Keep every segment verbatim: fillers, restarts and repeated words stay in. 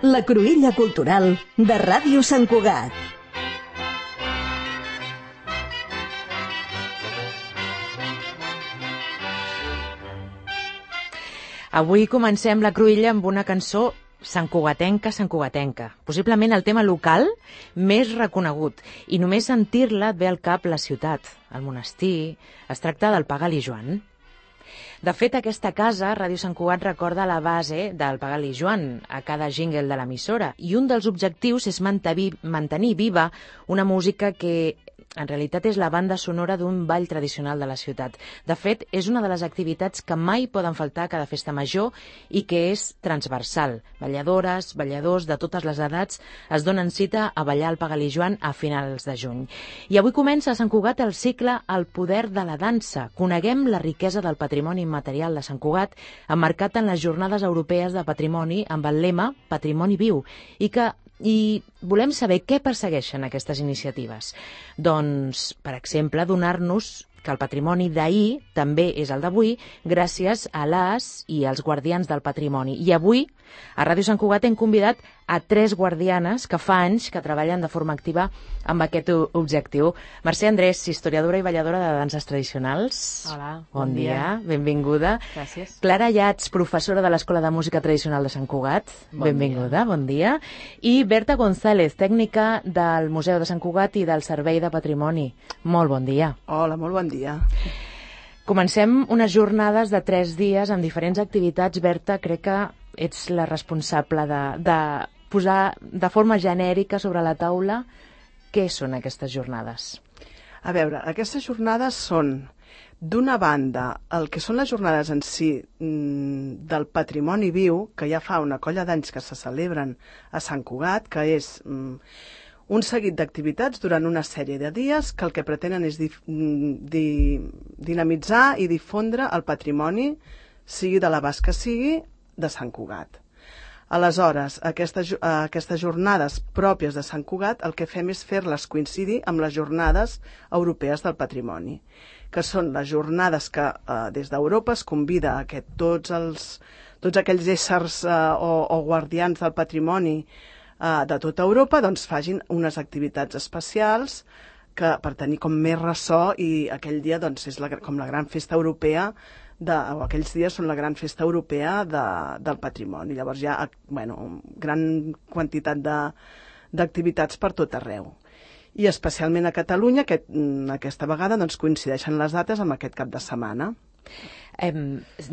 La cruïlla cultural de Ràdio Sant Cugat. Avui comencem la cruïlla amb una cançó santcugatenca, santcugatenca. Possiblement el tema local més reconegut. I només sentir-la et ve al cap la ciutat, el monestir. Es tracta del Pagal i Joan. De fet, aquesta casa, Ràdio Sant Cugat, recorda la base del Pagal i Joan a cada jingle de l'emissora. I un dels objectius és mantenir viva una música que en realitat és la banda sonora d'un ball tradicional de la ciutat. De fet, és una de les activitats que mai poden faltar a cada festa major i que és transversal. Balladores, balladors de totes les edats es donen cita a ballar el Pagal i Joan a finals de juny. I avui comença a Sant Cugat el cicle El poder de la dansa. Coneguem la riquesa del patrimoni immaterial de Sant Cugat, emmarcat en les Jornades Europees de Patrimoni amb el lema Patrimoni Viu, i que I volem saber què persegueixen aquestes iniciatives. Doncs, per exemple, donar-nos que el patrimoni d'ahir també és el d'avui gràcies a les i als guardians del patrimoni. I avui, a Ràdio Sant Cugat, hem convidat a tres guardianes que fa anys que treballen de forma activa amb aquest objectiu. Mercè Andrés, historiadora i balladora de danses tradicionals. Hola, bon, bon dia. dia. Benvinguda. Gràcies. Clara Llats, professora de l'Escola de Música Tradicional de Sant Cugat. Bon Benvinguda, dia. bon dia. I Berta González, tècnica del Museu de Sant Cugat i del Servei de Patrimoni. Molt bon dia. Hola, molt bon dia. Comencem unes jornades de tres dies amb diferents activitats. Berta, crec que ets la responsable de, de posar de forma genèrica sobre la taula què són aquestes jornades. A veure, aquestes jornades són, d'una banda, el que són les jornades en si del patrimoni viu, que ja fa una colla d'anys que se celebren a Sant Cugat, que és un seguit d'activitats durant una sèrie de dies que el que pretenen és di, di, dinamitzar i difondre el patrimoni, sigui de l'abast que sigui, de Sant Cugat. Aleshores, aquestes, aquestes jornades pròpies de Sant Cugat, el que fem és fer-les coincidir amb les jornades europees del patrimoni, que són les jornades que eh, des d'Europa es convida a que tots, els, tots aquells éssers eh, o, o guardians del patrimoni eh, de tota Europa doncs, facin unes activitats especials que, per tenir com més ressò, i aquell dia doncs, és la, com la gran festa europea de, o aquells dies són la gran festa europea de, del patrimoni. Llavors hi ha bueno, gran quantitat d'activitats per tot arreu. I especialment a Catalunya, que aquesta vegada doncs, coincideixen les dates amb aquest cap de setmana. Eh,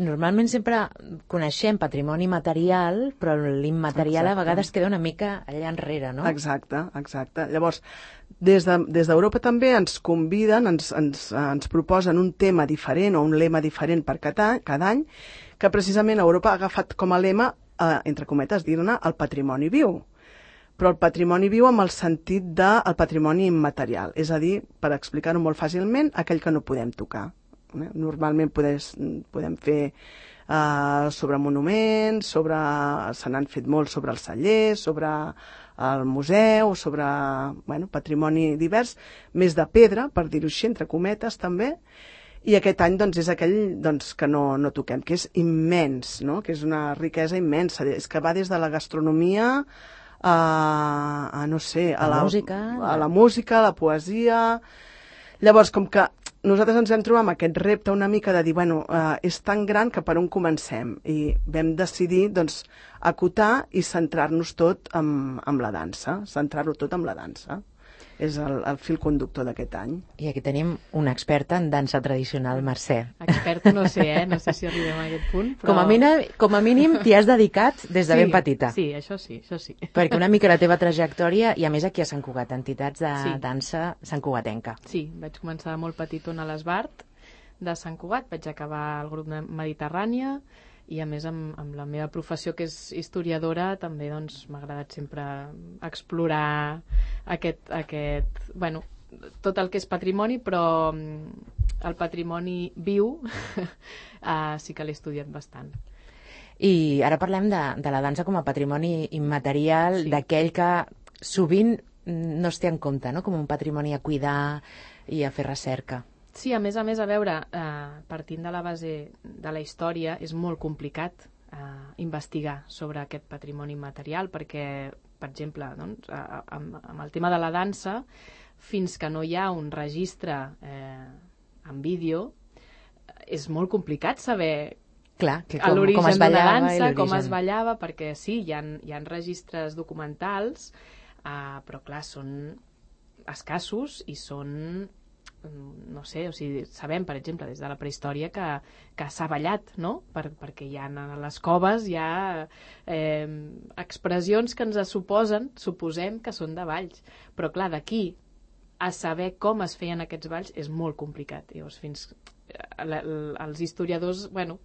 normalment sempre coneixem patrimoni material, però l'immaterial a vegades queda una mica allà enrere, no? Exacte, exacte. Llavors, des de, des d'Europa també ens conviden, ens, ens, ens proposen un tema diferent o un lema diferent per cada, cada any, que precisament Europa ha agafat com a lema, eh, entre cometes, dir-ne el patrimoni viu. Però el patrimoni viu amb el sentit del patrimoni immaterial, és a dir, per explicar-ho molt fàcilment, aquell que no podem tocar. Normalment podes, podem fer uh, sobre monuments, sobre, se n'han fet molt sobre els cellers, sobre el museu, sobre bueno, patrimoni divers, més de pedra, per dir-ho així, entre cometes també, i aquest any doncs, és aquell doncs, que no, no toquem, que és immens, no? Que és una riquesa immensa, és que va des de la gastronomia a, a no sé, a la, la, música, a la música, a la poesia. Llavors, com que nosaltres ens vam trobar amb aquest repte una mica de dir, bueno, eh, és tan gran que per on comencem? I vam decidir, doncs, acotar i centrar-nos tot amb, amb la dansa, centrar-ho tot amb la dansa. És el, el fil conductor d'aquest any. I aquí tenim una experta en dansa tradicional, Mercè. Experta no sé, eh? No sé si arribem a aquest punt, però... Com a mínim, com a mínim t'hi has dedicat des de sí, ben petita. Sí, això sí, això sí. Perquè una mica la teva trajectòria, i a més aquí a Sant Cugat, entitats de sí. dansa santcugatenca. Sí, vaig començar molt petitona a l'Esbart de Sant Cugat, vaig acabar al grup de Mediterrània, i a més amb, amb la meva professió, que és historiadora, també doncs, m'ha agradat sempre explorar aquest, aquest, bueno, tot el que és patrimoni, però el patrimoni viu uh, sí que l'he estudiat bastant. I ara parlem de, de la dansa com a patrimoni immaterial, sí. D'aquell que sovint no es té en compte, no? Com un patrimoni a cuidar i a fer recerca. Sí, a més a més, a veure, eh, partint de la base de la història, és molt complicat uh, investigar sobre aquest patrimoni immaterial, perquè, per exemple, doncs, amb, amb el tema de la dansa, fins que no hi ha un registre eh, en vídeo, és molt complicat saber Clar, que com, l'origen com es d'una ballava dansa, com es ballava, perquè sí, hi ha, hi ha registres documentals, uh, però clar, són escassos i són, no sé, o sigui, sabem, per exemple, des de la prehistòria que, que s'ha ballat, no? Per, perquè hi ha a les coves hi ha eh, expressions que ens suposen, suposem que són de balls, però clar, d'aquí a saber com es feien aquests balls és molt complicat. Llavors, fins els historiadors, bueno,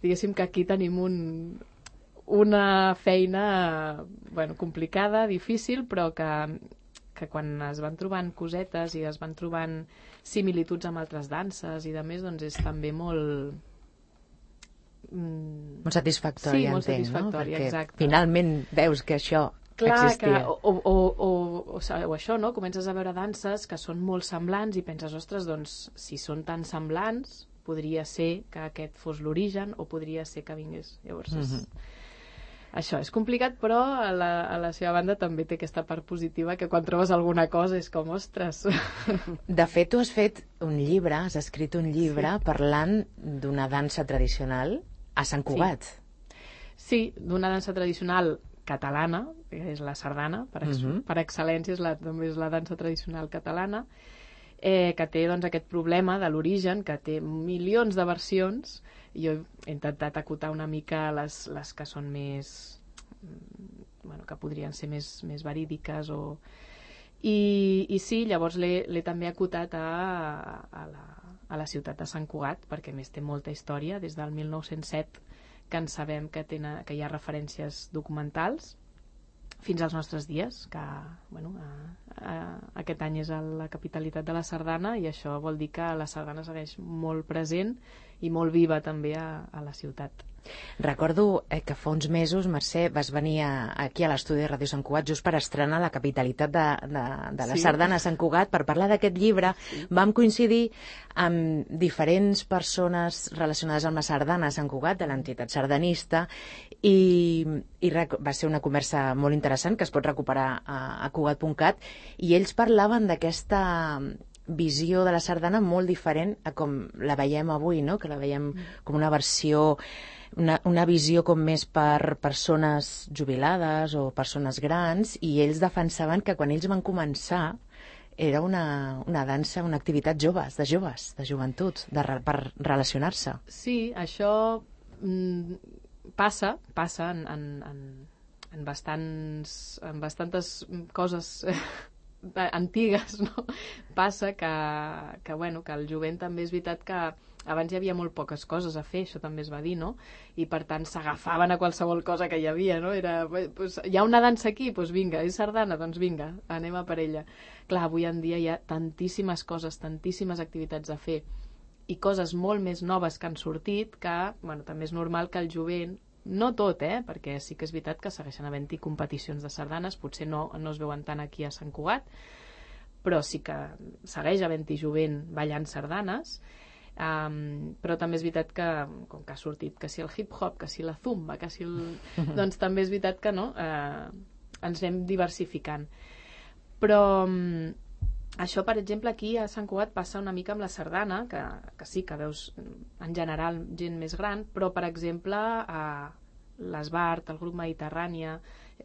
diguéssim que aquí tenim un, una feina bueno, complicada, difícil, però que que quan es van trobant cosetes i es van trobant similituds amb altres danses i de més, doncs és també molt... Mm... Molt satisfactori, sí, molt entenc, satisfactori, no? Perquè exacte. finalment veus que això Clar, existia. Que, o, o, o, o, o això, no? Comences a veure danses que són molt semblants i penses, ostres, doncs, si són tan semblants, podria ser que aquest fos l'origen o podria ser que vingués. Llavors, és... Mm-hmm. Això és complicat, però a la, a la seva banda també té aquesta part positiva que quan trobes alguna cosa és com, ostres... De fet, tu has fet un llibre, has escrit un llibre sí. parlant d'una dansa tradicional a Sant Cugat. Sí, sí, d'una dansa tradicional catalana, que és la sardana, per, ex uh-huh. per excel·lència és la, també és la dansa tradicional catalana, eh, que té doncs, aquest problema de l'origen, que té milions de versions. Jo he intentat acotar una mica les, les que són més... Bueno, que podrien ser més, més verídiques o... I, i sí, llavors l'he també acotat a, a, la, a la ciutat de Sant Cugat, perquè a més té molta història, des del mil nou-cents set que en sabem que, tenen, que hi ha referències documentals, fins als nostres dies, que bueno, a, a, aquest any és a la capitalitat de la sardana i això vol dir que la sardana segueix molt present i molt viva també a, a la ciutat. Recordo eh, que fa uns mesos, Mercè, vas venir a, aquí a l'estudi de Ràdio Sant Cugat just per estrenar la capitalitat de, de, de la sí. sardana a Sant Cugat per parlar d'aquest llibre. Sí. Vam coincidir amb diferents persones relacionades amb la sardana a Sant Cugat, de l'entitat sardanista, i, i va ser una conversa molt interessant que es pot recuperar a, a cugat punt cat, i ells parlaven d'aquesta visió de la sardana molt diferent a com la veiem avui, no? Que la veiem com una versió, una, una visió com més per persones jubilades o persones grans, i ells defensaven que quan ells van començar era una, una dansa, una activitat joves, de joves, de joventut, de, per relacionar-se. Sí, això mm, passa, passa en, en, en, en, bastants, en bastantes coses antigues, no? Passa que, que, bueno, que el jovent també és veritat que abans hi havia molt poques coses a fer, això també es va dir, no? I per tant s'agafaven a qualsevol cosa que hi havia, no? Era, pues, hi ha una dansa aquí, doncs vinga, és sardana, doncs vinga, anem a per ella. Clar, avui en dia hi ha tantíssimes coses, tantíssimes activitats a fer i coses molt més noves que han sortit que, bueno, també és normal que el jovent, no tot, eh? Perquè sí que és veritat que segueixen havent-hi competicions de sardanes, potser no, no es veuen tant aquí a Sant Cugat, però sí que segueix havent-hi jovent ballant sardanes, um, però també és veritat que, com que ha sortit que si el hip-hop, que si la zumba, que si el... doncs també és veritat que no, eh, ens anem diversificant. Però um, això, per exemple, aquí a Sant Cugat passa una mica amb la sardana, que, que sí que veus en general gent més gran, però, per exemple, a l'Esbart, el grup Mediterrània,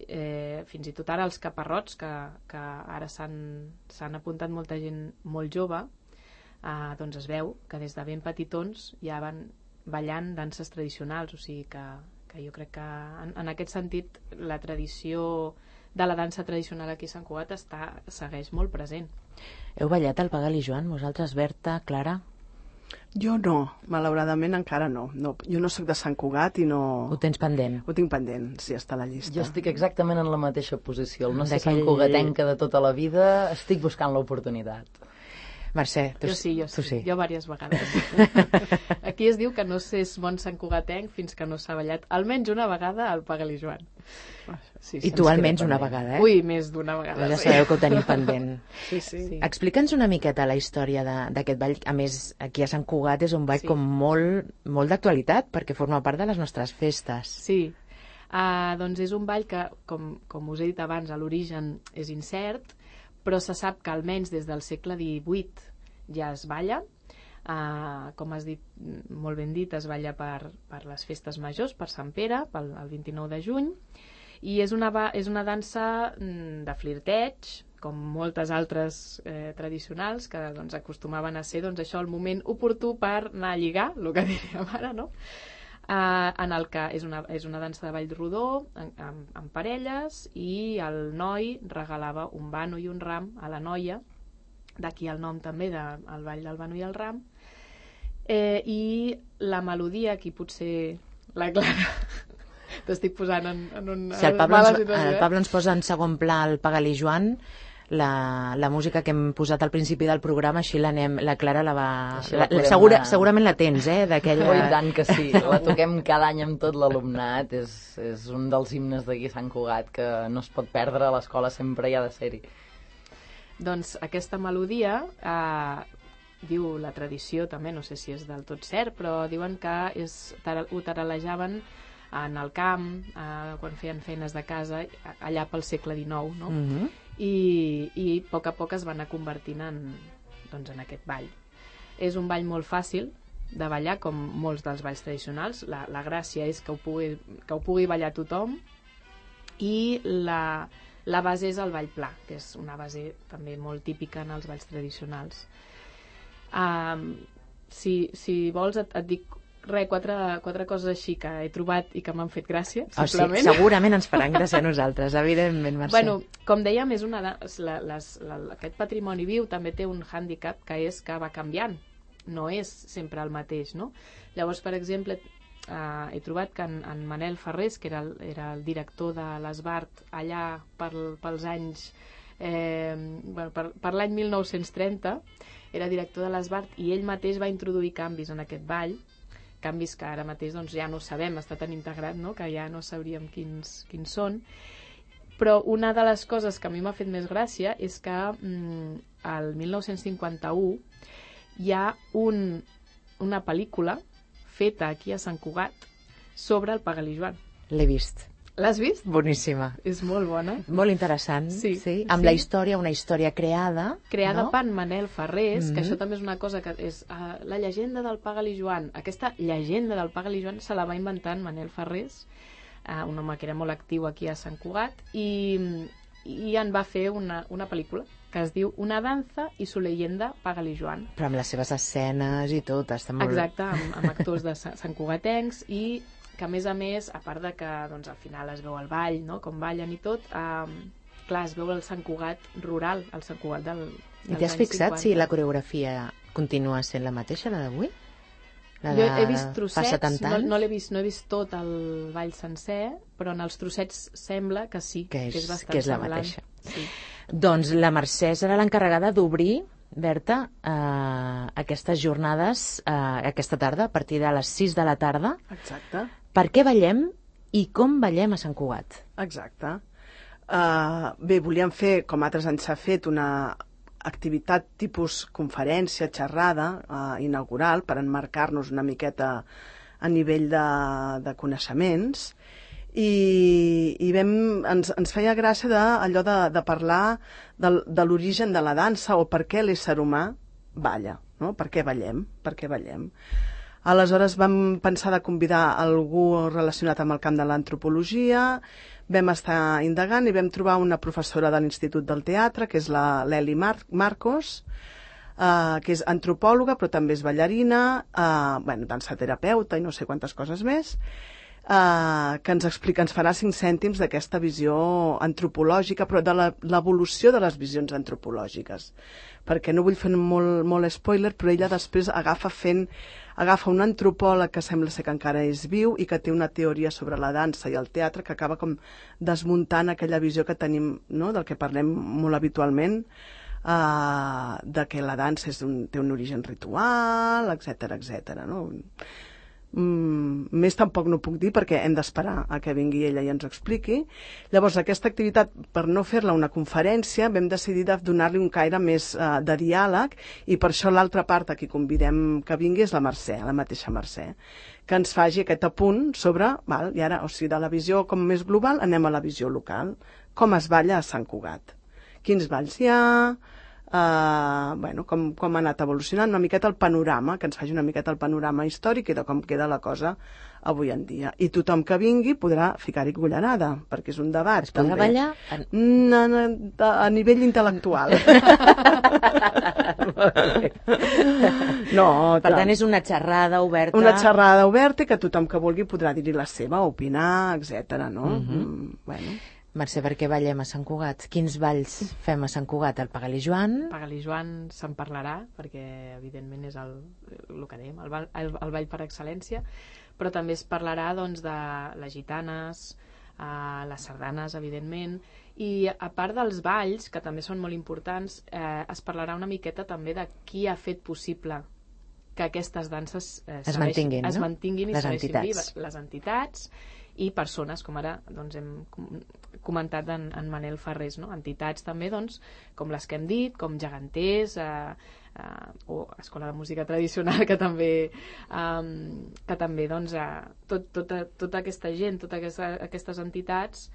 eh, fins i tot ara els caparrots, que, que ara s'han apuntat molta gent molt jove, eh, doncs es veu que des de ben petitons ja van ballant danses tradicionals, o sigui que, que jo crec que en, en aquest sentit la tradició de la dansa tradicional aquí a Sant Cugat està, segueix molt present. Heu ballat el Pagal i Joan, vosaltres, Berta, Clara? Jo no, malauradament encara no. no. Jo no sóc de Sant Cugat i no... Ho tens pendent? Ho tinc pendent, sí, està a la llista. Jo estic exactament en la mateixa posició. El no ser Sant Cugatenca de tota la vida, estic buscant l'oportunitat. Mercè, tu, jo sí, jo tu sí, sí. jo diverses vegades. Aquí es diu que no s'és bon santcugatenc fins que no s'ha ballat almenys una vegada al Pagal i Joan. Sí, I tu almenys una vegada, eh? Ui, més d'una vegada. Ja sí. sabeu que ho tenim pendent. Sí, sí. Sí. Explica'ns una miqueta la història de- d'aquest ball. A més, aquí a Sant Cugat és un ball Sí. com molt, molt d'actualitat, perquè forma part de les nostres festes. Sí, uh, doncs és un ball que, com, com us he dit abans, a l'origen és incert, però se sap que almenys des del segle divuit ja es balla. Uh, com has dit, molt ben dit, es balla per, per les festes majors, per Sant Pere, pel, el vint-i-nou de juny, i és una, ba- és una dansa mm, de flirteig, com moltes altres eh, tradicionals, que doncs, acostumaven a ser doncs, això el moment oportú per anar a lligar, el que diríem ara, no? Uh, en el que és una, és una dansa de ball rodó, en, amb, amb parelles, i el noi regalava un bano i un ram a la noia, d'aquí el nom també del de, ball del bano i el ram, eh, i la melodia, aquí potser la Clara t'estic posant en, en una Si el Pablo, mala ens, situació, el eh? Pablo ens posa en segon pla el Pagal i Joan, la, la música que hem posat al principi del programa, així l'anem, la Clara la va... Així la La, la, podem segura, anar- segurament la tens, eh? D'aquella... Oh, i tant que sí, la toquem cada any amb tot l'alumnat, és, és un dels himnes d'aquí a Sant Cugat que no es pot perdre, a l'escola sempre hi ha de ser-hi. Doncs aquesta melodia, eh, diu la tradició també, no sé si és del tot cert, però diuen que és, tara- ho taralejaven en el camp, eh, quan feien feines de casa, allà pel segle dinou, no? Mhm. I, i a poc a poc es va anar convertint en, doncs, en aquest ball. És un ball molt fàcil de ballar, com molts dels balls tradicionals. La, la gràcia és que ho pugui, que ho pugui ballar tothom, i la, la base és el ball pla, que és una base també molt típica en els balls tradicionals. Um, si, si vols et, et dic re, quatre, quatre coses així que he trobat i que m'han fet gràcia, Oh, sí, simplement. segurament ens faran gràcia a nosaltres, evidentment, Mercè. Bueno, com dèiem, és una, la, les, la, aquest patrimoni viu també té un hàndicap, que és que va canviant, no és sempre el mateix, no? Llavors, per exemple, eh, he trobat que en, en Manel Ferrés, que era el, era el director de l'Esbart allà per, pels anys eh, bueno, per, per l'any mil nou-cents trenta, era director de l'Esbart, i ell mateix va introduir canvis en aquest ball, canvis que ara mateix doncs, ja no sabem, està tan integrat, no?, que ja no sabríem quins, quins són. Però una de les coses que a mi m'ha fet més gràcia és que mm, el mil nou-cents cinquanta-u hi ha un, una pel·lícula feta aquí a Sant Cugat sobre el Pagal i Joan. L'he vist. L'has vist? Boníssima. És molt bona. Molt interessant. Sí, sí. Amb sí. la història, una història creada. Creada no? per Manel Ferrés, Mhm. que això també és una cosa que és uh, la llegenda del Pagal i Joan. Aquesta llegenda del Pagal i Joan se la va inventar en Manel Ferrés, uh, un home que era molt actiu aquí a Sant Cugat, i, i en va fer una, una pel·lícula que es diu Una danza i su leyenda Pagal i Joan. Però amb les seves escenes i tot, està molt... Exacte, amb, amb actors de sa- Sant Cugatencs, i que a més a més, a part de que doncs, al final es veu el ball, no?, com ballen i tot, eh, clar, es veu el Sant Cugat rural, el Sant Cugat del, I dels t'has anys fixat cinquanta. si la coreografia continua sent la mateixa, la d'avui? La Jo de he vist fa trossets, setanta no, anys? no l'he vist, no he vist tot el ball sencer, però en els trossets sembla que sí, Que és- que és bastant que és la semblant. mateixa. Sí. Doncs la Mercè serà l'encarregada d'obrir, Berta, eh, aquestes jornades eh, aquesta tarda, a partir de les sis de la tarda. Exacte, Per què ballem i com ballem a Sant Cugat? exacte. Uh, bé, volíem fer, com altres anys s'ha fet, una activitat tipus conferència, xerrada uh, inaugural, per emmarcar-nos una miqueta a nivell de, de coneixements, i, i vam, ens, ens feia gràcia de, allò de, de parlar del, de l'origen de la dansa, o per què l'ésser humà balla, no? Per què ballem? Per què ballem? Aleshores vam pensar de convidar algú relacionat amb el camp de l'antropologia, vam estar indagant i vam trobar una professora de l'Institut del Teatre, que és la l'Eli Mar Marcos, eh, que és antropòloga, però també és ballarina, eh, bueno, dansaterapeuta i no sé quantes coses més, eh, que ens explica, ens farà cinc cèntims d'aquesta visió antropològica, però de la- l'evolució de les visions antropològiques. Perquè no vull fer molt, molt spoiler, però ella després agafa fent agafa un antropòleg que sembla ser que encara és viu i que té una teoria sobre la dansa i el teatre que acaba com desmuntant aquella visió que tenim, no?, del que parlem molt habitualment, uh, de que la dansa és un, té un origen ritual, etcètera, etcètera, no? Mm, més tampoc no puc dir perquè hem d'esperar a que vingui ella i ens ho expliqui. Llavors, aquesta activitat, per no fer-la una conferència, vam decidir de donar-li un caire més uh, de diàleg, i per això l'altra part a qui convidem que vingui és la Mercè, la mateixa Mercè, que ens faci aquest apunt sobre, val, i ara, o sigui, de la visió com més global anem a la visió local. Com es balla a Sant Cugat? Quins balls hi ha? Uh, bueno, com, com ha anat evolucionant una miqueta el panorama, que ens faci una miqueta el panorama històric i de com queda la cosa avui en dia. I tothom que vingui podrà ficar-hi cullerada, perquè és un debat. Es podrà també. ballar? A, a, a nivell intel·lectual. No, per tant, és una xerrada oberta. Una xerrada oberta i que tothom que vulgui podrà dir-hi la seva, opinar, etcètera, no? Uh-huh. Mm, bueno. Mercè, per què ballem a Sant Cugat? Quins balls fem a Sant Cugat? El Pagal i Joan? Pagal i Joan se'n parlarà, perquè evidentment és el, el que dèiem, el, ball, el, el ball per excel·lència, però també es parlarà doncs, de les gitanes, eh, les sardanes, evidentment, i a part dels balls, que també són molt importants, eh, es parlarà una miqueta també de qui ha fet possible que aquestes danses eh, es mantinguin, es no? mantinguin i les entitats. vives. Les entitats i persones, com ara doncs, hem comentat en, en Manel Ferrés, no? Entitats també, doncs, com les que hem dit, com geganters, eh, eh, o Escola de Música Tradicional, que també, eh, que també doncs, eh, tot, tota, tota aquesta gent, totes aquesta, aquestes entitats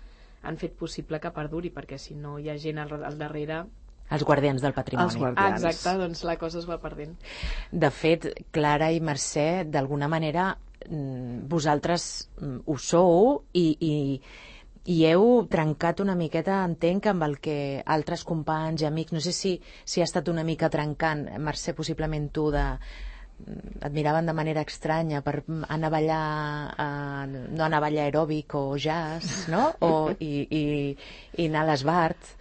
han fet possible que perduri, perquè si no hi ha gent al, al darrere... Els guardians del patrimoni. Els guardians. Ah, exacte, doncs la cosa es va perdent. De fet, Clara i Mercè, d'alguna manera, vosaltres ho sou i, i, i heu trencat una miqueta, entenc, amb el que altres companys i amics, no sé si, si ha estat una mica trencant, Mercè, possiblement tu, de, et miraven de manera estranya per anar a ballar, eh, no anar a ballar aeròbic o jazz, no? O, i, i, i anar a l'Esbart.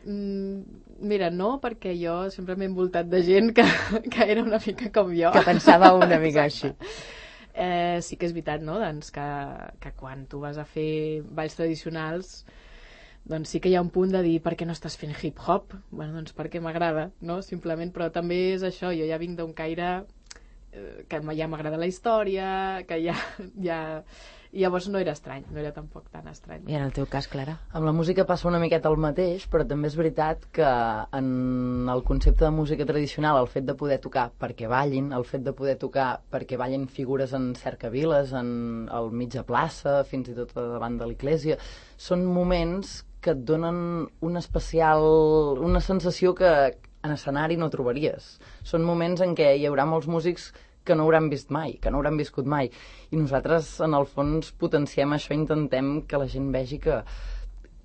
Mm, mira, no, perquè jo sempre m'he envoltat de gent que, que era una mica com jo. Que pensava una mica així. Eh, sí que és veritat, no? Doncs que, que quan tu vas a fer balls tradicionals, doncs sí que hi ha un punt de dir per què no estàs fent hip-hop? Bueno, doncs perquè m'agrada, no? Simplement, però també és això, jo ja vinc d'un caire eh, que ja m'agrada la història, que ja, ja... I llavors no era estrany, no era tampoc tan estrany. I en el teu cas, Clara? Amb la música passa una miqueta el mateix, però també és veritat que en el concepte de música tradicional, el fet de poder tocar perquè ballin, el fet de poder tocar perquè ballin figures en cercaviles, en el mitja plaça, fins i tot davant de l'església, són moments que et donen una especial... una sensació que en escenari no trobaries. Són moments en què hi haurà molts músics que no hauran vist mai, que no hauran viscut mai. I nosaltres, en el fons, potenciem això, intentem que la gent vegi que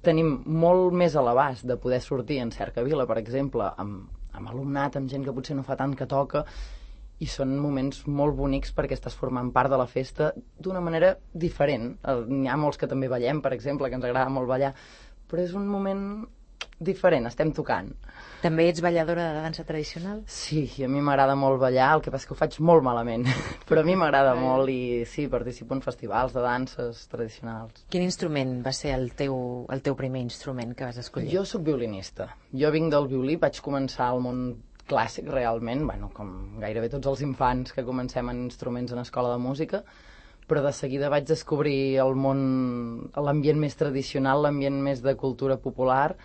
tenim molt més a l'abast de poder sortir en cercavila, per exemple, amb, amb alumnat, amb gent que potser no fa tant que toca, i són moments molt bonics perquè estàs formant part de la festa d'una manera diferent. N'hi ha molts que també ballem, per exemple, que ens agrada molt ballar, però és un moment diferent, estem tocant. També ets balladora de dansa tradicional? Sí, a mi m'agrada molt ballar, el que passa és que ho faig molt malament, però a mi m'agrada molt i sí, participo en festivals de danses tradicionals. Quin instrument va ser el teu, el teu primer instrument que vas escollir? Jo sóc violinista. Jo vinc del violí, vaig començar al món clàssic realment, bueno, com gairebé tots els infants que comencem en instruments en escola de música, però de seguida vaig descobrir el món, l'ambient més tradicional, l'ambient més de cultura popular,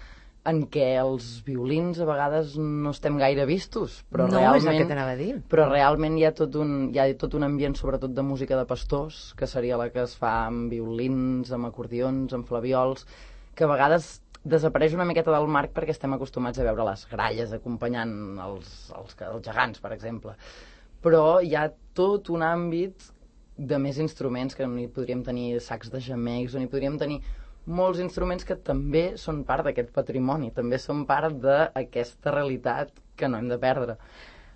en què els violins a vegades no estem gaire vistos, però no, realment, és el que t'anava a dir. Però realment hi ha, tot un, hi ha tot un ambient, sobretot de música de pastors, que seria la que es fa amb violins, amb acordions, amb flaviols, que a vegades desapareix una miqueta del marc perquè estem acostumats a veure les gralles acompanyant els, els, els gegants, per exemple. Però hi ha tot un àmbit de més instruments, que on hi podríem tenir sacs de gemecs, on hi podríem tenir molts instruments que també són part d'aquest patrimoni, també són part d'aquesta realitat que no hem de perdre.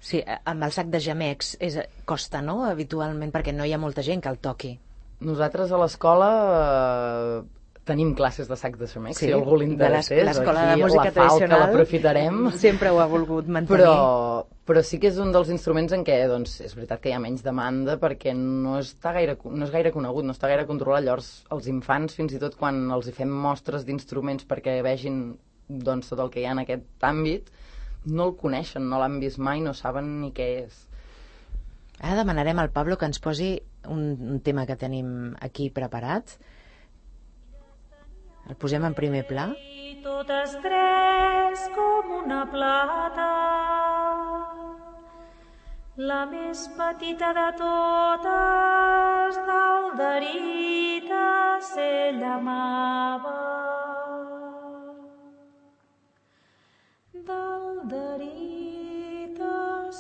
Sí, amb el sac de gemecs és, costa, no?, habitualment, perquè no hi ha molta gent que el toqui. Nosaltres a l'escola eh, tenim classes de sac de gemecs, sí, si algú li interessés, l'escola aquí de música la falca tradicional l'aprofitarem. Sempre ho ha volgut mantenir. Però, però sí que és un dels instruments en què, doncs, és veritat que hi ha menys demanda perquè no està gaire, no és gaire conegut, no està gaire controlat. Llavors, els infants, fins i tot quan els hi fem mostres d'instruments perquè vegin, doncs, tot el que hi ha en aquest àmbit, no el coneixen, no l'han vist mai, no saben ni què és. Ara demanarem al Pablo que ens posi un, un tema que tenim aquí preparat. El posem en primer pla. Totes tres com una plata, la més petita de totes, d'Alderita se llamava. D'Alderita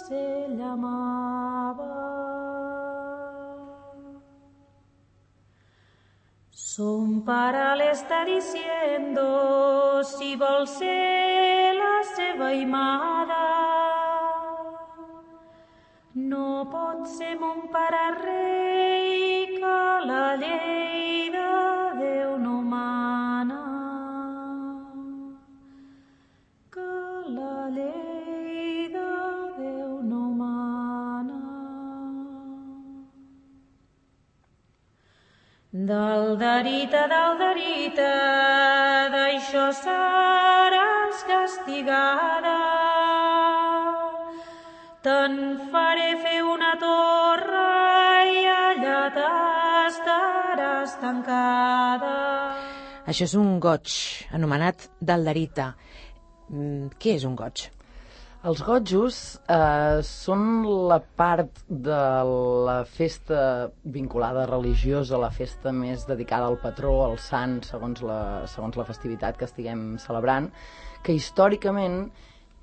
se llamava. Son pare le está diciendo si vol ser la seva imada. No pot ser mon pare rei, que la llei de Déu no mana. Que la llei de Déu no mana. D'Alderita, d'Alderita, d'això seràs castigada. Te'n faré fer una torre i allà t'estaràs tancada. Això és un goig, anomenat d'Alderita. Mm, què és un goig? Els gojos eh, són la part de la festa vinculada religiosa, la festa més dedicada al patró, al sant, segons la, segons la festivitat que estiguem celebrant, que històricament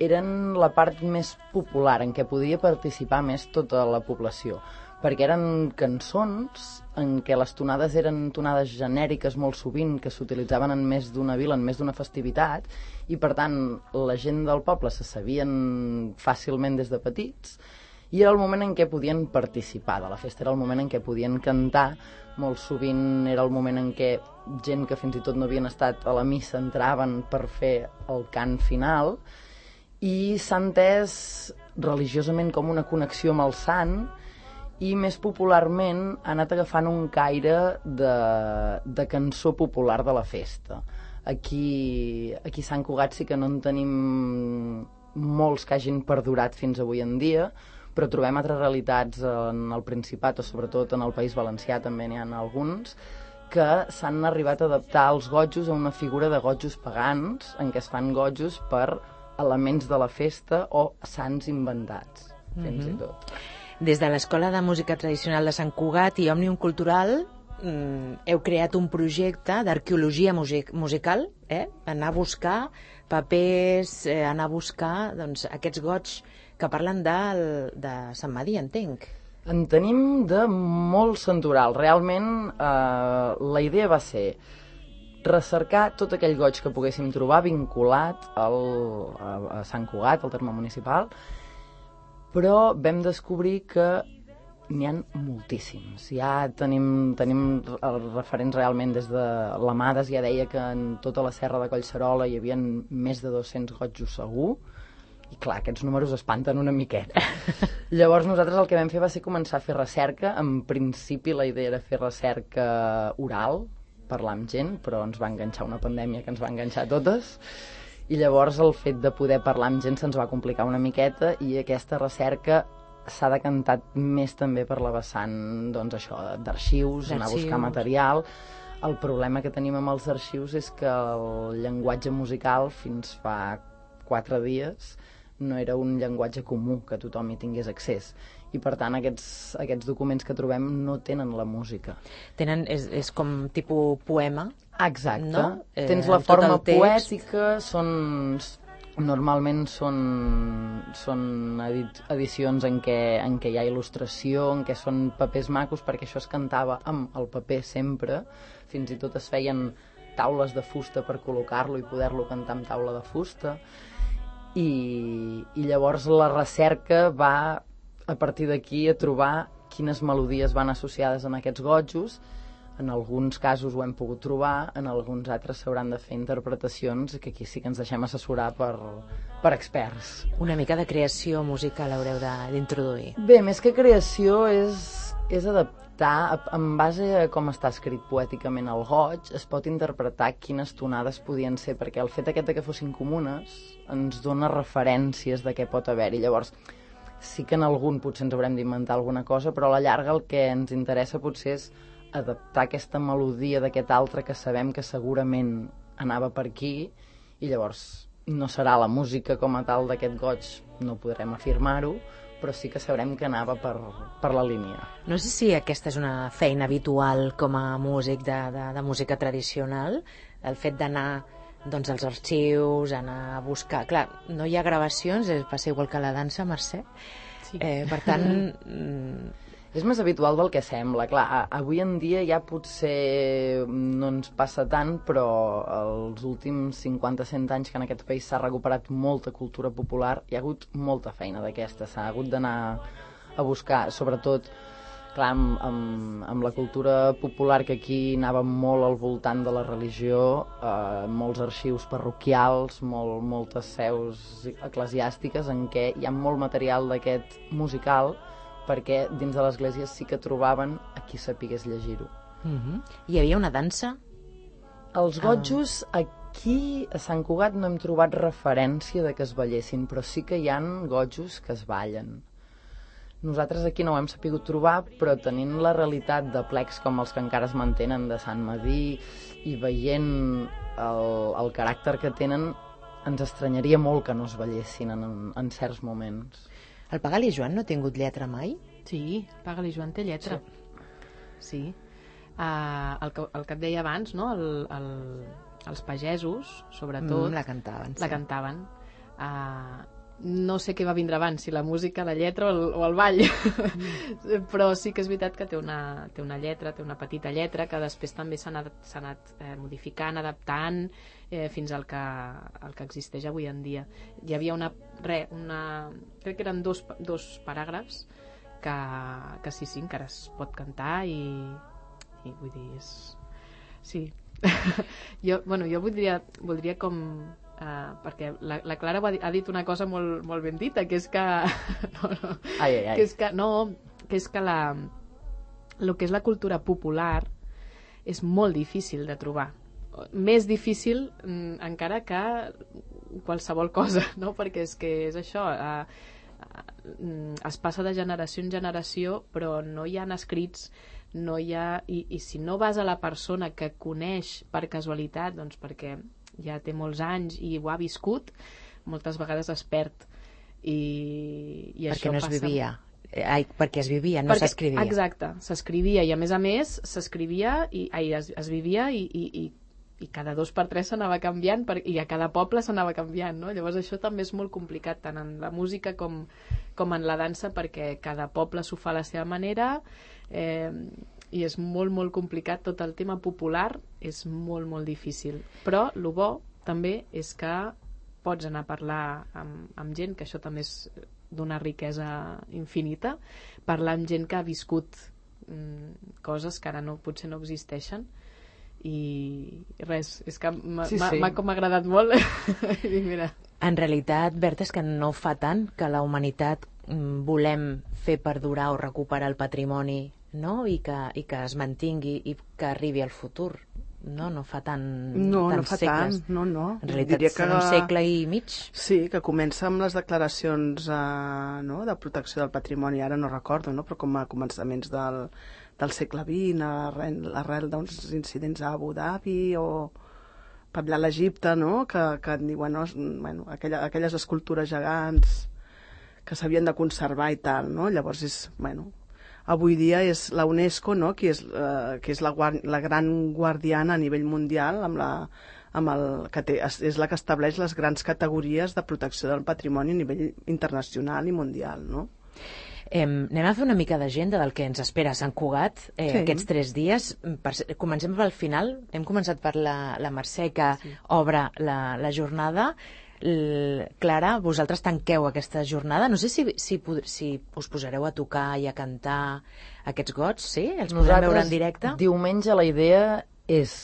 eren la part més popular, en què podia participar més tota la població, perquè eren cançons en què les tonades eren tonades genèriques molt sovint, que s'utilitzaven en més d'una vila, en més d'una festivitat, i per tant la gent del poble se sabien fàcilment des de petits, i era el moment en què podien participar de la festa, era el moment en què podien cantar, molt sovint era el moment en què gent que fins i tot no havien estat a la missa entraven per fer el cant final, i s'ha entès religiosament com una connexió amb el sant, i més popularment ha anat agafant un caire de, de cançó popular de la festa. Aquí, aquí a Sant Cugat sí que no en tenim molts que hagin perdurat fins avui en dia, però trobem altres realitats en el Principat o sobretot en el País Valencià també n'hi ha alguns, que s'han arribat a adaptar els gojos a una figura de gojos pagans, en què es fan gojos per elements de la festa o sants inventats, fins mm-hmm. i tot. Des de l'Escola de Música Tradicional de Sant Cugat i Òmnium Cultural mm, heu creat un projecte d'arqueologia music musical, eh? Anar a buscar papers, eh, anar a buscar doncs, aquests goigs que parlen de, de Sant Madí, entenc. En tenim de molt santoral. Realment eh, la idea va ser recercar tot aquell goig que poguéssim trobar vinculat al, a, a Sant Cugat, al terme municipal, però vam descobrir que n'hi ha moltíssims. Ja tenim, tenim referents realment des de l'Amades, ja deia que en tota la serra de Collserola hi havia més de dos-cents gojos segur, i clar, aquests números espanten una miqueta. Llavors nosaltres el que vam fer va ser començar a fer recerca. En principi la idea era fer recerca oral, parlar amb gent, però ens va enganxar una pandèmia que ens va enganxar totes, i llavors el fet de poder parlar amb gent se'ns va complicar una miqueta, i aquesta recerca s'ha decantat més també per la vessant, doncs això, d'arxius, anar a buscar material. El problema que tenim amb els arxius és que el llenguatge musical fins fa quatre dies no era un llenguatge comú que tothom hi tingués accés, i per tant aquests, aquests documents que trobem no tenen la música. Tenen, és, és com tipus poema? Exacte. No? Eh, Tens la forma poètica, són, normalment són, són edit, edicions en què, en què hi ha il·lustració, en què són papers macos, perquè això es cantava amb el paper sempre, fins i tot es feien taules de fusta per col·locar-lo i poder-lo cantar amb taula de fusta, i, i llavors la recerca va a partir d'aquí a trobar quines melodies van associades en aquests gojos. En alguns casos ho hem pogut trobar, en alguns altres s'hauran de fer interpretacions, que aquí sí que ens deixem assessorar per, per experts. Una mica de creació musical haureu d'introduir. Bé, més que creació és, és adaptar adaptar, en base a com està escrit poèticament el goig, es pot interpretar quines tonades podien ser, perquè el fet aquest de que fossin comunes ens dona referències de què pot haver-hi. Llavors, sí que en algun potser ens haurem d'inventar alguna cosa, però a la llarga el que ens interessa potser és adaptar aquesta melodia d'aquest altre que sabem que segurament anava per aquí, i llavors no serà la música com a tal d'aquest goig, no podrem afirmar-ho, però sí que sabrem que anava per, per la línia. No sé si aquesta és una feina habitual com a músic de, de, de música tradicional, el fet d'anar doncs, als arxius, anar a buscar... Clar, no hi ha gravacions, passa igual que la dansa, Mercè. Sí. Eh, per tant... És més habitual del que sembla. Clar, avui en dia ja potser no ens passa tant, però els últims cinquanta a cent anys que en aquest país s'ha recuperat molta cultura popular, hi ha hagut molta feina d'aquesta. S'ha hagut d'anar a buscar, sobretot, clar, amb, amb, amb la cultura popular que aquí anava molt al voltant de la religió, eh, molts arxius parroquials, molt, moltes seus eclesiàstiques en què hi ha molt material d'aquest musical, perquè dins de l'església sí que trobaven a qui sapigués llegir-ho. Uh-huh. Hi havia una dansa? Els gotjos, aquí a Sant Cugat no hem trobat referència de que es ballessin, però sí que hi han gotjos que es ballen. Nosaltres aquí no ho hem sapigut trobar, però tenint la realitat de plecs com els que encara es mantenen de Sant Madí i veient el, el caràcter que tenen, ens estranyaria molt que no es ballessin en, en certs moments. El Pagal i Joan no ha tingut lletra mai? Sí, Pagal i Joan té lletra. Sí. sí. Uh, el, que, el que et deia abans, no? el, el, els pagesos, sobretot... Mm, la cantaven. Sí. La cantaven. Uh, no sé què va vindre abans, si la música, la lletra o el, o el ball. Mm. Però sí que és veritat que té una, té una lletra, té una petita lletra, que després també s'ha anat, s'ha anat eh, modificant, adaptant, eh, fins al que, al que existeix avui en dia. Hi havia una... Re, una crec que eren dos, dos paràgrafs que, que sí, sí, encara es pot cantar i, i vull dir, és... Sí. jo, bueno, jo voldria, voldria com... Uh, perquè la, la Clara ha, ha dit una cosa molt, molt ben dita, que és que... no, no, ai, ai, ai. Que és que, no, que és que la, el que és la cultura popular és molt difícil de trobar. Més difícil mm, encara que qualsevol cosa, no? Perquè és que és això, uh, uh, es passa de generació en generació, però no hi ha escrits, no hi ha... I, i si no vas a la persona que coneix per casualitat, doncs perquè ja té molts anys i ho ha viscut, moltes vegades es perd. I, i perquè això no es passa... vivia. Ai, perquè es vivia, no s'escrivia. Exacte, s'escrivia i a més a més s'escrivia i ai, es, es vivia i, i, i, i cada dos per tres s'anava canviant per, i a cada poble s'anava canviant, no? Llavors això també és molt complicat tant en la música com, com en la dansa, perquè cada poble s'ho fa a la seva manera, eh, i és molt, molt complicat. Tot el tema popular és molt, molt difícil. Però el bo també és que pots anar a parlar amb, amb gent, que això també és d'una riquesa infinita, parlar amb gent que ha viscut mm, coses que ara no, potser no existeixen, i res, és que m'ha sí, sí. com agradat molt. I mira. En realitat, Berta, és que no fa tant que la humanitat mm, volem fer perdurar o recuperar el patrimoni, no? I que, i que es mantingui i que arribi al futur. No, no fa tant no, tants no fa segles. Tant, no, no. En realitat Diria serà que... un segle i mig. Sí, que comença amb les declaracions eh, no, de protecció del patrimoni, ara no recordo, no? Però com a començaments del, del segle vint, arrel, arrel d'uns incidents a Abu Dhabi o parlar a l'Egipte, no? Que, que diuen, no, bueno, aquella, aquelles escultures gegants que s'havien de conservar i tal, no? Llavors és, bueno... Avui dia és la UNESCO, no? que és, eh, que és la, la gran guardiana a nivell mundial, amb la, amb el, que té, és la que estableix les grans categories de protecció del patrimoni a nivell internacional i mundial. No? Eh, anem a fer una mica d'agenda del que ens espera a Sant Cugat eh, sí. aquests tres dies. Per, comencem pel final. Hem començat per la, la Mercè, que sí. obre la, la jornada. L... Clara, vosaltres tanqueu aquesta jornada. No sé si, si, si us posareu a tocar i a cantar aquests gots, sí? Els podrem veure en directe? Diumenge la idea és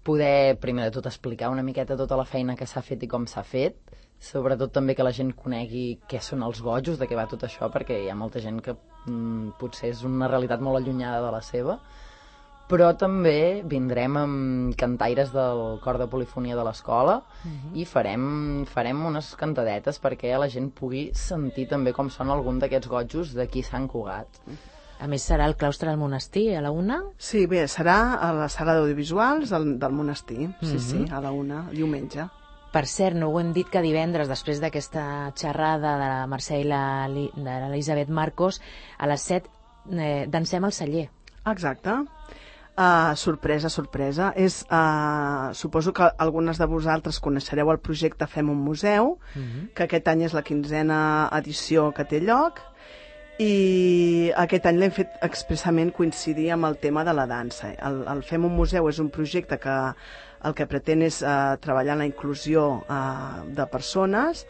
poder, primer de tot, explicar una miqueta tota la feina que s'ha fet i com s'ha fet, sobretot també que la gent conegui què són els gojos, de què va tot això, perquè hi ha molta gent que mm, potser és una realitat molt allunyada de la seva, però també vindrem amb cantaires del cor de polifonia de l'escola uh-huh. i farem, farem unes cantadetes perquè la gent pugui sentir també com són algun d'aquests gotjos d'aquí Sant Cugat. A més, serà el claustre del monestir a la una? Sí, bé, serà a la sala d'audiovisuals del, del monestir, sí, uh-huh. sí, a la una, diumenge. Per cert, no ho hem dit que divendres, després d'aquesta xerrada de la Mercè i la, de l'Elisabet Marcos, a les set eh, dansem al celler. Exacte. Uh, sorpresa, sorpresa. És, uh, suposo que algunes de vosaltres coneixereu el projecte Fem un museu, uh-huh. que aquest any és la quinzena edició que té lloc, i aquest any l'hem fet expressament coincidir amb el tema de la dansa. El, el Fem un museu és un projecte que el que pretén és uh, treballar en la inclusió uh, de persones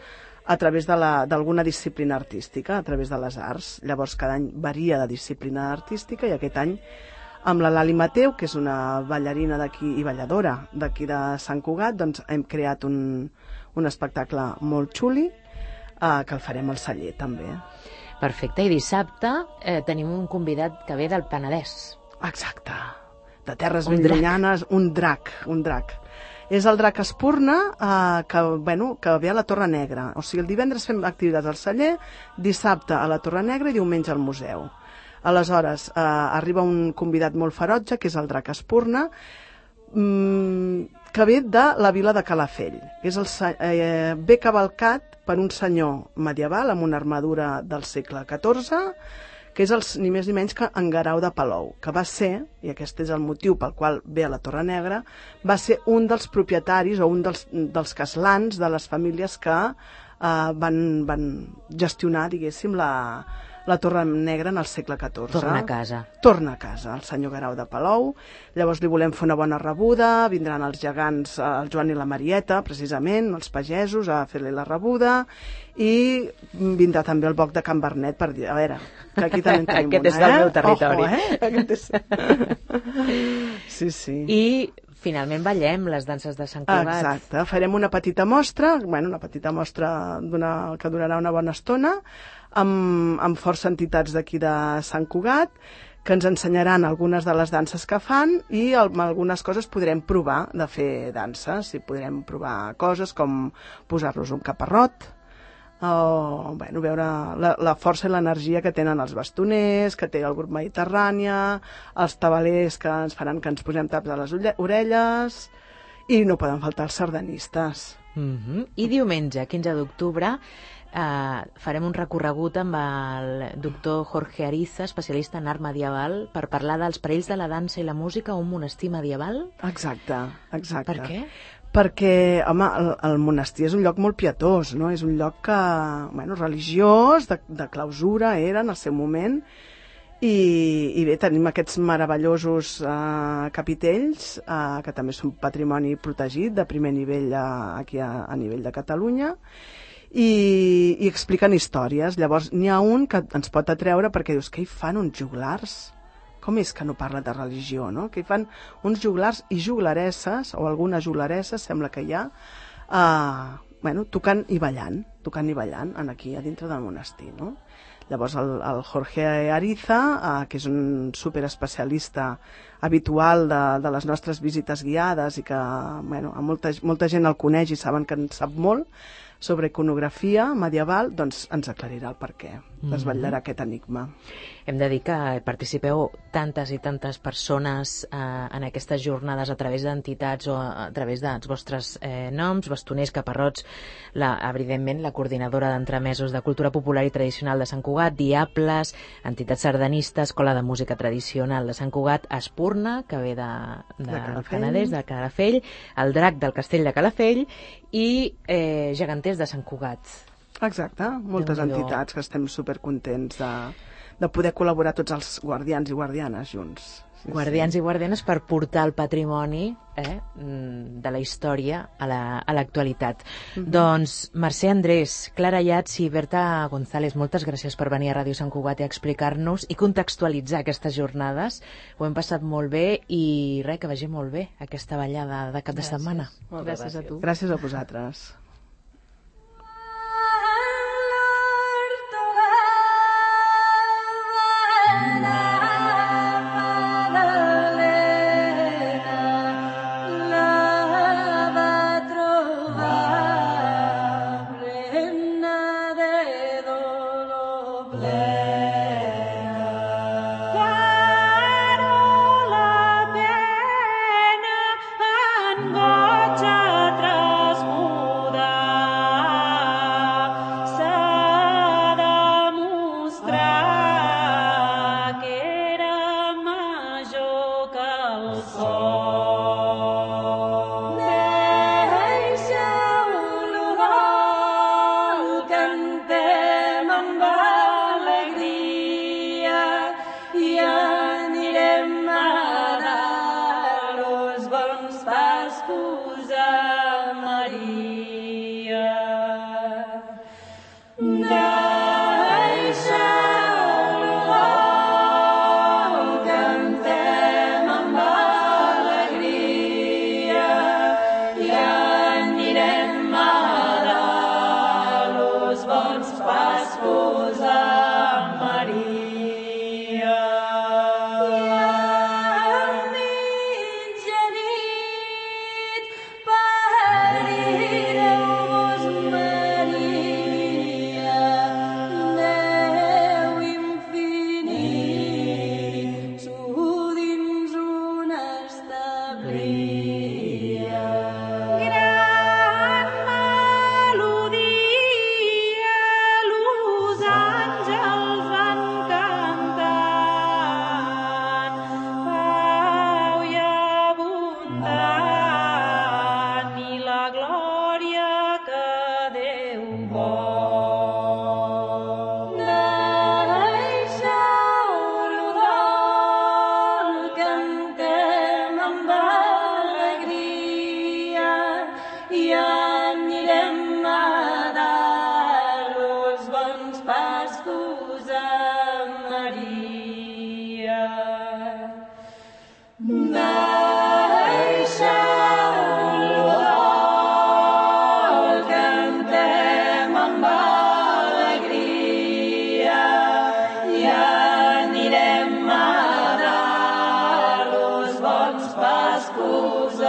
a través d'alguna disciplina artística, a través de les arts. Llavors cada any varia de disciplina artística i aquest any amb la Lali Mateu, que és una ballarina d'aquí i balladora d'aquí de Sant Cugat, doncs hem creat un, un espectacle molt xuli uh, que el farem al celler també. Perfecte, i dissabte eh, tenim un convidat que ve del Penedès. Exacte, de terres ben llunyanes, un drac, un drac. És el drac Espurna, eh, que, bueno, que ve a la Torre Negra. O sigui, el divendres fem activitats al celler, dissabte a la Torre Negra i diumenge al museu. Aleshores, eh, arriba un convidat molt ferotge, que és el drac Espurna, mmm, que ve de la vila de Calafell. És el, eh, ve cavalcat per un senyor medieval amb una armadura del segle catorze, que és el, ni més ni menys que en Guerau de Palou, que va ser, i aquest és el motiu pel qual ve a la Torre Negra, va ser un dels propietaris o un dels, dels caslans de les famílies que eh, van, van gestionar, diguéssim, la, la Torre Negra en el segle catorze. Torna a casa. Torna a casa, el senyor Guerau de Palou. Llavors li volem fer una bona rebuda, vindran els gegants, el Joan i la Marieta, precisament, els pagesos, a fer-li la rebuda, i vindrà també el Boc de Can Bernet per dir, a veure, que aquí també en tenim Aquest una, és del eh? meu territori. Ojo, eh? Aquest és... Sí, sí. I finalment ballem les danses de Sant Cugat. Exacte, farem una petita mostra, bueno, una petita mostra que durarà una bona estona, amb, amb força entitats d'aquí de Sant Cugat, que ens ensenyaran algunes de les danses que fan i amb algunes coses podrem provar de fer danses, i podrem provar coses com posar-nos un caparrot, o bueno, veure la, la força i l'energia que tenen els bastoners, que té el grup Mediterrània, els tabalers que ens faran que ens posem taps a les orelles, i no poden faltar els sardanistes. Mm-hmm. I diumenge, quinze d'octubre, eh, farem un recorregut amb el doctor Jorge Ariza, especialista en art medieval, per parlar dels perills de la dansa i la música a un monestir medieval. Exacte, exacte. Per què? Perquè, home, el, el monestir és un lloc molt pietós, no? És un lloc que, bueno, religiós, de, de clausura era en el seu moment, i, i bé, tenim aquests meravellosos eh, capitells, eh, que també són patrimoni protegit de primer nivell a, aquí a, a nivell de Catalunya, i, i expliquen històries. Llavors, n'hi ha un que ens pot atreure perquè dius, què hi fan uns joglars? Com és que no parla de religió, no? Que hi fan uns joglars i joglaresses, o algunes joglaresses, sembla que hi ha, eh, bueno, tocant i ballant, tocant i ballant, en aquí, a dintre del monestir, no? Llavors el, el Jorge Ariza, eh, que és un superespecialista habitual de, de les nostres visites guiades i que, bueno, a molta, molta gent el coneix i saben que en sap molt sobre iconografia medieval, doncs ens aclarirà el per què, desvetllarà aquest enigma. Hem de dir que participeu tantes i tantes persones eh, en aquestes jornades a través d'entitats o a través dels vostres eh, noms, bastoners, caparrots, la, evidentment la coordinadora d'entremesos de cultura popular i tradicional de Sant Cugat, Diables, entitats sardanistes, Escola de Música Tradicional de Sant Cugat, Espurna, que ve de, de, de del Penedès, de Calafell, el Drac del Castell de Calafell i eh, Geganters de Sant Cugat. Exacte, moltes entitats que estem supercontents de, de poder col·laborar tots els guardians i guardianes junts. Sí, Guardians sí. i guardianes per portar el patrimoni eh, de la història a l'actualitat. La, mm-hmm. Doncs Mercè Andrés, Clara Yats i Berta González, moltes gràcies per venir a Ràdio Sant Cugat i explicar-nos i contextualitzar aquestes jornades. Ho hem passat molt bé i res, que vagi molt bé aquesta ballada de cap de setmana. Gràcies. gràcies a tu. Gràcies a vosaltres. Pascos